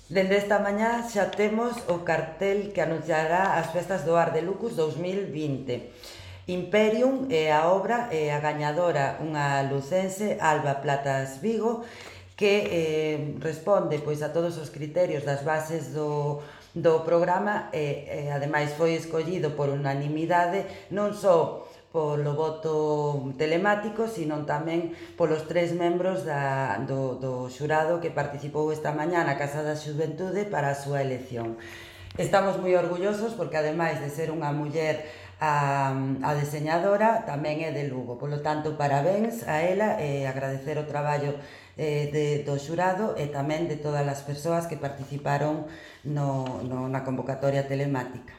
Dende esta mañá xa temos o cartel que anunciará as festas do Art de Lucus 2020. Imperium é a obra e a gañadora, unha lucense, Alba Platas Vigo, que responde pois a todos os criterios das bases do programa e ademais foi escollido por unanimidade non só polo voto telemático, sino tamén polos 3 membros do xurado que participou esta mañá na Casa da Xuventude para a súa elección. Estamos moi orgullosos porque, ademais de ser unha muller, a deseñadora tamén é de Lugo. Polo tanto, parabéns a ela e agradecer o traballo do xurado e tamén de todas as persoas que participaron na convocatoria telemática.